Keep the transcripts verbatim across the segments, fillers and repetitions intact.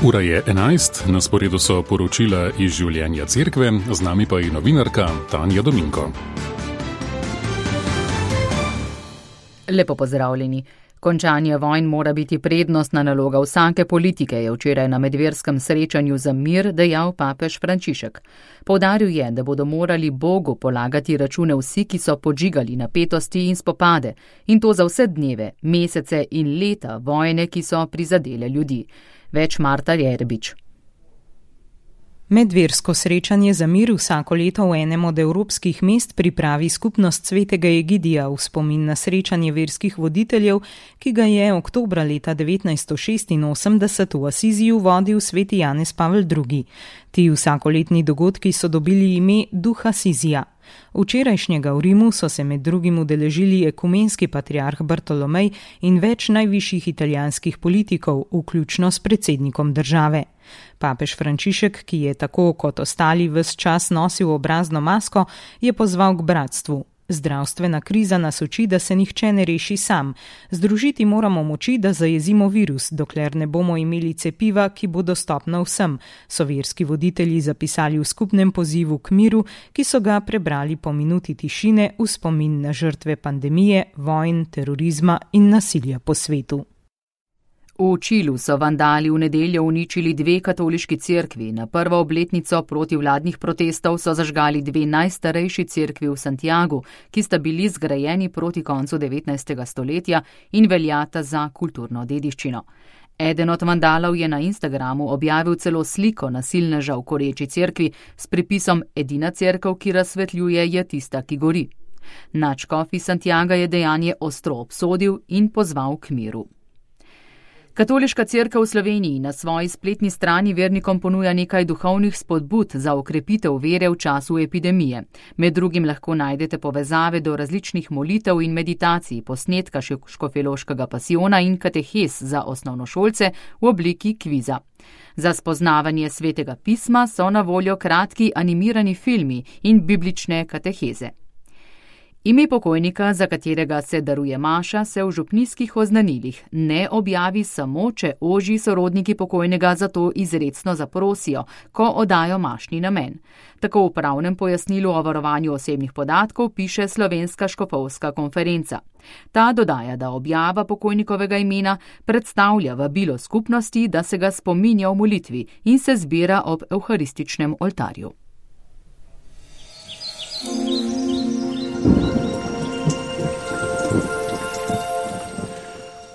Ura je enajst, na sporedu so poročila iz življenja cerkve, z nami pa je novinarka Tanja Dominko. Lepo pozdravljeni. Končanje vojn mora biti prednostna naloga vsake politike, je včeraj na medverskem srečanju za mir dejal papež Frančišek. Poudaril je, da bodo morali Bogu polagati račune vsi, ki so podžigali napetosti in spopade, in to za vse dneve, mesece in leta vojne, ki so prizadele ljudi. Več Marta Jerbič. Medversko srečanje za mir vsako leto v enem od evropskih mest pripravi skupnost svetega Egidija v spomin na srečanje verskih voditeljev, ki ga je oktobra leta devetnajststo šestinosemdeset v Asiziju vodil sveti Janez Pavel drugi. Ti vsakoletni dogodki so dobili ime Duh Asizija. Včerajšnjega v Rimu so se med drugim udeležili ekumenski patriarh Bartolomej in več najvišjih italijanskih politikov, vključno s predsednikom države. Papež Frančišek, ki je tako kot ostali ves čas nosil obrazno masko, je pozval k bratstvu. Zdravstvena kriza nas uči, da se nihče ne reši sam. Združiti moramo moči, da zajezimo virus, dokler ne bomo imeli cepiva, ki bo dostopna vsem, so verski voditelji zapisali v skupnem pozivu k miru, ki so ga prebrali po minuti tišine v spomin na žrtve pandemije, vojn, terorizma in nasilja po svetu. V Čilu so vandali v nedeljo uničili dve katoliški cerkvi. Na prvo obletnico protivladnih protestov so zažgali dve najstarejši cerkvi v Santiagu, ki sta bili zgrajeni proti koncu devetnajstega stoletja in veljata za kulturno dediščino. Eden od vandalov je na Instagramu objavil celo sliko nasilneža v koreči cerkvi s pripisom Edina cerkev, ki razsvetljuje, je tista, ki gori. Nadškof iz Santiaga je dejanje ostro obsodil in pozval k miru. Katoliška cerkev v Sloveniji na svoji spletni strani vernikom ponuja nekaj duhovnih spodbud za okrepitev vere v času epidemije. Med drugim lahko najdete povezave do različnih molitev in meditacij, posnetka škofjeloškega pasiona in katehes za osnovnošolce v obliki kviza. Za spoznavanje svetega pisma so na voljo kratki animirani filmi in biblične kateheze. Ime pokojnika, za katerega se daruje maša, se v župnijskih oznanilih ne objavi samo, če ožji sorodniki pokojnega za to izrecno zaprosijo, ko oddajo mašni namen. Tako v pravnem pojasnilu o varovanju osebnih podatkov piše Slovenska škofovska konferenca. Ta dodaja, da objava pokojnikovega imena predstavlja vabilo skupnosti, da se ga spominja v molitvi in se zbira ob evharističnem oltarju.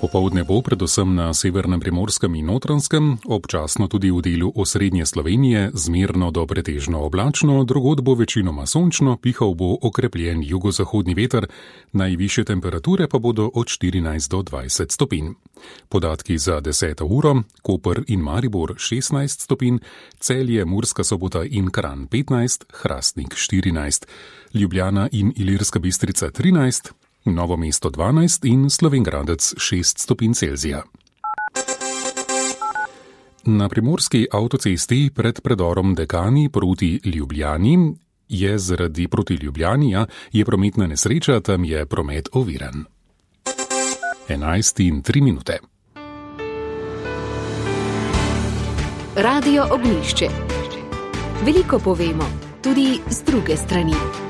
Popoldne bo predvsem na severnem Primorskem in Notranjskem, občasno tudi v delu osrednje Slovenije, zmerno do pretežno oblačno, drugod bo večinoma sončno, pihal bo okrepljen jugozahodni veter, najvišje temperature pa bodo od štirinajst do dvajset stopinj. Podatki za deseto uro: Koper in Maribor šestnajst stopinj, Celje, Murska Sobota in Kranj petnajst, Hrastnik štirinajst, Ljubljana in Ilirska Bistrica trinajst, Novo mesto dvanajst in Slovenj Gradec šest stopinj Celzija. Na primorski avtocesti pred predorom Dekani proti Ljubljani je zaradi proti Ljubljani je prometna nesreča, tam je promet oviran. enajst in tri minute. Radio Ognjišče. Veliko povemo, tudi z druge strani.